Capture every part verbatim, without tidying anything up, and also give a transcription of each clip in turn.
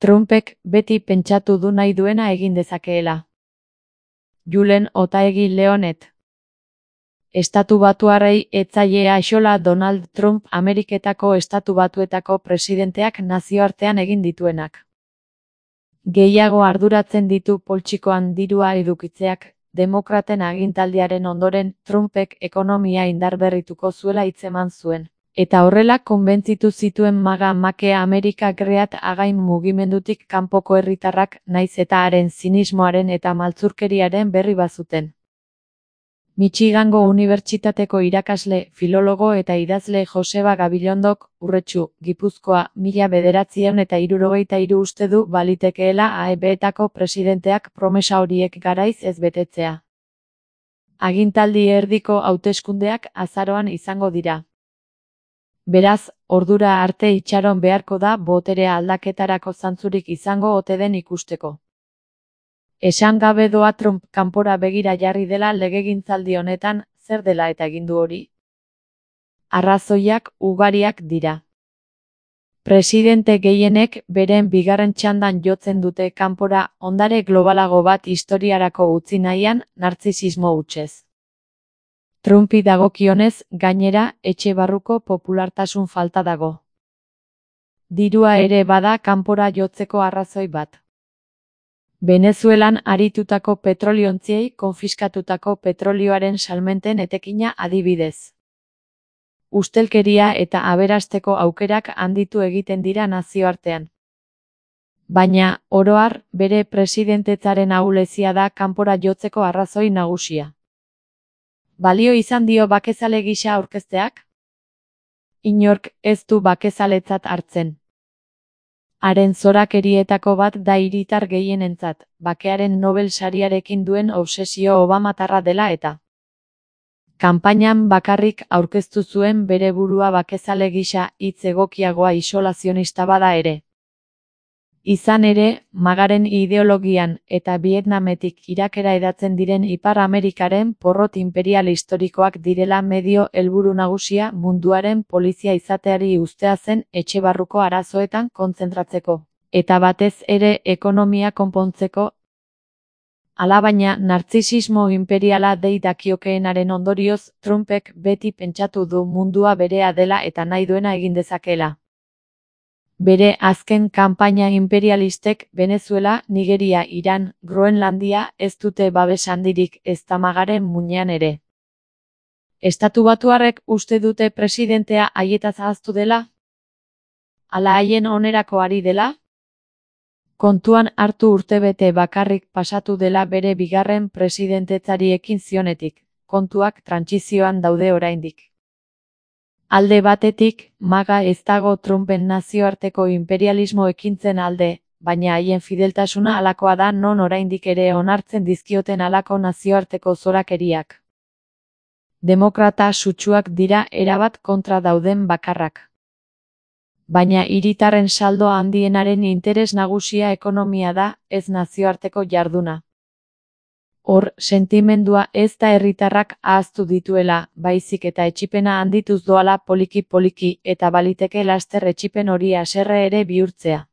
Trumpek beti pentsatu du nahi duena egin dezakeela. Julen Otaegi Leonet. Estatu Batuarrei ez zaie axola Donald Trump Ameriketako Estatu Batuetako presidenteak nazioartean egin dituenak. Gehiago arduratzen ditu poltsikoan dirua edukitzeak, demokraten agintaldiaren ondoren Trumpek ekonomia indarberrituko zuela hitzeman zuen. Eta horrela konbentzitu zituen maga makea Amerika Great Again mugimendutik kanpoko herritarrak naiz eta haren zinismoaren eta maltzurkeriaren berri bazuten. Michigango Unibertsitateko irakasle, filologo eta idazle Joseba Gabilondok, Urretxu, Gipuzkoa, mila bederatziehun eta hirurogeita hiru uste du balitekeela A E B-etako presidenteak promesa horiek garaiz ez betetzea. Agintaldi erdiko hauteskundeak azaroan izango dira. Beraz, ordura arte itxaron beharko da boterea aldaketarako zantzurik izango ote den ikusteko. Esan gabe doa Trump kanpora begira jarri dela legegintzaldi honetan, zer dela eta egin du hori? Arrazoiak ugariak dira. Presidente gehienek beren bigarren txandan jotzen dute kanpora ondare globalago bat historiarako utzi nahian nartzisismo hutsez. Trumpi dagokionez, gainera, etxe barruko populartasun falta dago. Dirua ere bada kanpora jotzeko arrazoi bat. Venezuelan aritutako petroliontziei konfiskatutako petrolioaren salmenten etekina adibidez. Ustelkeria eta aberasteko aukerak handitu egiten dira nazioartean. Baina, oro har, bere presidentetzaren ahulezia da kanpora jotzeko arrazoi nagusia. Balio izan dio bakezale gisa aurkezteak? Inork ez du bakezaletzat hartzen. Haren zorakerietako bat da hiritar gehienentzat, bakearen Nobel sariarekin duen obsesio obamatarra dela eta. Kanpainan bakarrik aurkeztu zuen bere burua bakezale gisa hitz egokiagoa isolazionista bada ere. Izan ere, magaren ideologian eta Vietnametik Irakera hedatzen diren Ipar Amerikaren porrot imperial historikoak direla medio helburu nagusia munduaren polizia izateari uztea zen etxe barruko arazoetan kontzentratzeko, eta batez ere ekonomia konpontzeko. Alabaina, nartzisismo imperiala dei dakiokeenaren ondorioz, Trumpek beti pentsatu du mundua berea dela eta nahi duena egin dezakela. Bere azken kanpaina imperialistek Venezuela, Nigeria, Iran, Groenlandia ez dute babes handirik ezta magaren muinean ere. Estatu Batuarrek uste dute presidentea haietaz ahaztu dela? Ala haien onerako ari dela? Kontuan hartu urtebete bakarrik pasatu dela bere bigarren presidentetzari ekin zionetik, kontuak trantsizioan daude oraindik. Alde batetik, maga ez dago Trumpen nazioarteko imperialismo ekintzen alde, baina haien fideltasuna halakoa da non oraindik ere onartzen dizkioten halako nazioarteko zorakeriak. Demokrata sutsuak dira erabat kontra dauden bakarrak. Baina hiritarren saldo handienaren interes nagusia ekonomia da, ez nazioarteko jarduna. Hor, sentimendua ez da herritarrak ahaztu dituela, baizik eta etxipena handituz doala poliki-poliki eta baliteke laster etxipen hori haserre ere bihurtzea.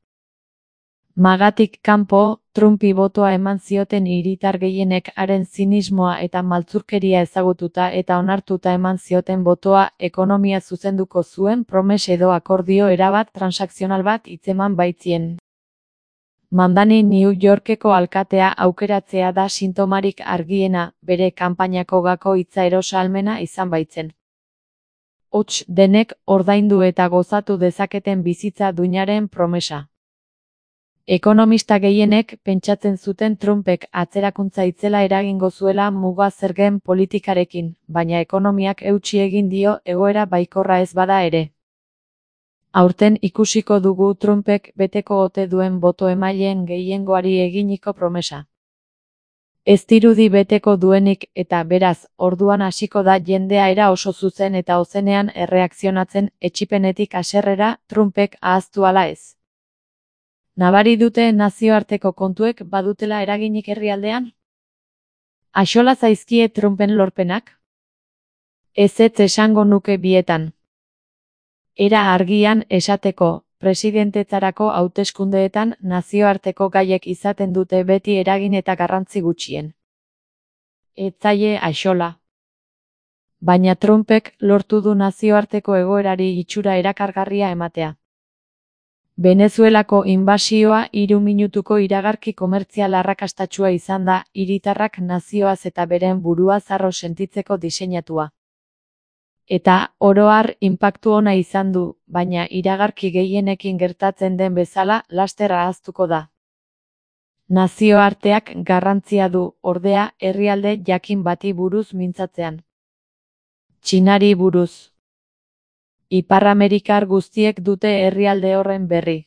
Magatik kanpo, Trumpi botoa eman zioten hiritar gehienek haren zinismoa eta maltzurkeria ezagututa eta onartuta eman zioten botoa ekonomia zuzenduko zuen promes edo akordio erabat transakzional bat hitzeman baitzien. Mandani New Yorkeko alkatea aukeratzea da sintomarik argiena, bere kanpainako gako hitza erosalmena izan baitzen. Hots denek ordaindu eta gozatu dezaketen bizitza duinaren promesa. Ekonomista gehienek pentsatzen zuten Trumpek atzerakuntza itzela eragingo zuela muga zergen politikarekin, baina ekonomiak eutsi egin dio egoera baikorra ez bada ere. Aurten ikusiko dugu Trumpek beteko ote duen boto emaileen gehiengoari eginiko promesa. Ez dirudi beteko duenik eta beraz, orduan hasiko da jendea era oso zuzen eta ozenean erreakzionatzen etxipenetik haserrera Trumpek ahaztu ala ez. Nabari dute nazioarteko kontuek badutela eraginik herrialdean? Axola zaizkie Trumpen lorpenak? Ez ez esango nuke bietan. Era argian esateko, presidentetzarako hauteskundeetan nazioarteko gaiek izaten dute beti eragin eta garrantzi gutxien. Ez zaie axola. Baina Trumpek lortu du nazioarteko egoerari itxura erakargarria ematea. Venezuelako inbasioa hiru minutuko iragarki komertzial arrakastatsua izan da, hiritarrak nazioaz eta beren burua zarro sentitzeko diseinatua. Eta, oro har, inpaktu ona izan du, baina iragarki gehienekin gertatzen den bezala laster ahaztuko da. Nazioarteak garrantzia du, ordea, herrialde jakin bati buruz mintzatzean. Txinari buruz. Ipar-Amerikar guztiek dute herrialde horren berri.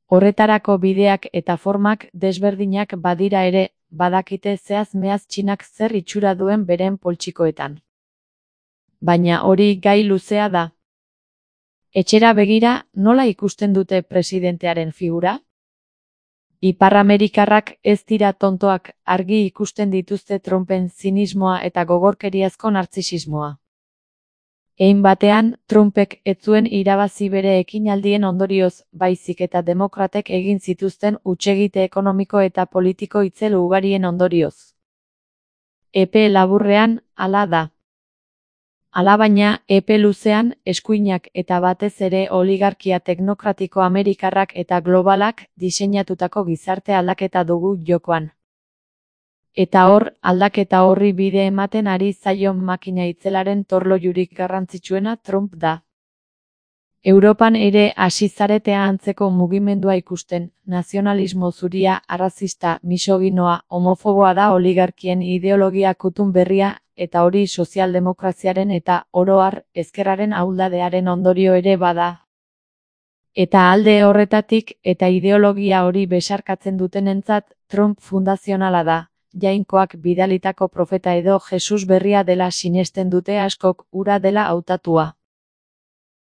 Horretarako bideak eta formak desberdinak badira ere, badakite zehaz-mehaz Txinak zer itxura duen beren poltsikoetan. Baina hori gai luzea da. Etxera begira, nola ikusten dute presidentearen figura? Ipar-Amerikarrak ez dira tontoak, argi ikusten dituzte Trumpen zinismoa eta gogorkeriazko narzisismoa. Hein batean, Trumpek ez zuen irabazi bere ekinaldien ondorioz, baizik eta demokratek egin zituzten hutsegite ekonomiko eta politiko itzel ugarien ondorioz. Epe laburrean, hala da. Alabaina, epe luzean, eskuinak eta batez ere oligarkia teknokratiko amerikarrak eta globalak diseinatutako gizarte aldaketa dugu jokoan. Eta hor, aldaketa horri bide ematen ari zaion makina itzelaren torlojurik garrantzitsuena Trump da. Europan ere hasi zaretea antzeko mugimendua ikusten, nazionalismo zuria, arrazista, misoginoa, homofoboa da oligarkien ideologia kutun berria, eta hori sozialdemokraziaren eta, oro har, ezkerraren ahuldadearen ondorio ere bada. Eta alde horretatik, eta ideologia hori besarkatzen dutenentzat, Trump fundazionala da. Jainkoak bidalitako profeta edo Jesus berria dela sinesten dute askok, hura dela hautatua.